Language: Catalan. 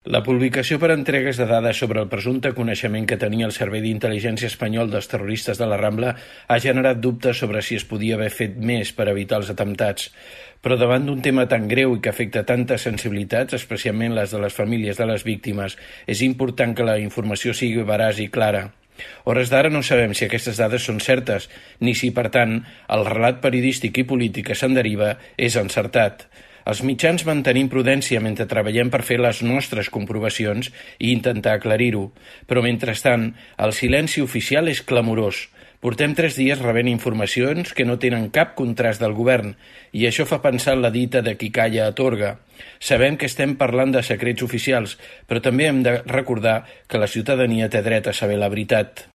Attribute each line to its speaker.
Speaker 1: La publicació per entregues de dades sobre el presumpte coneixement que tenia el Servei d'Intel·ligència espanyol dels terroristes de la Rambla ha generat dubtes sobre si es podia haver fet més per evitar els atemptats. Però davant d'un tema tan greu i que afecta tantes sensibilitats, especialment les de les famílies de les víctimes, és important que la informació sigui veraç i clara. A hores d'ara no sabem si aquestes dades són certes, ni si, per tant, el relat periodístic i polític que se'n deriva és encertat. Els mitjans mantenim prudència mentre treballem per fer les nostres comprovacions i intentar aclarir-ho, però mentrestant el silenci oficial és clamorós. Portem 3 dies rebent informacions que no tenen cap contrast del govern i això fa pensar en la dita de qui calla atorga. Sabem que estem parlant de secrets oficials, però també hem de recordar que la ciutadania té dret a saber la veritat.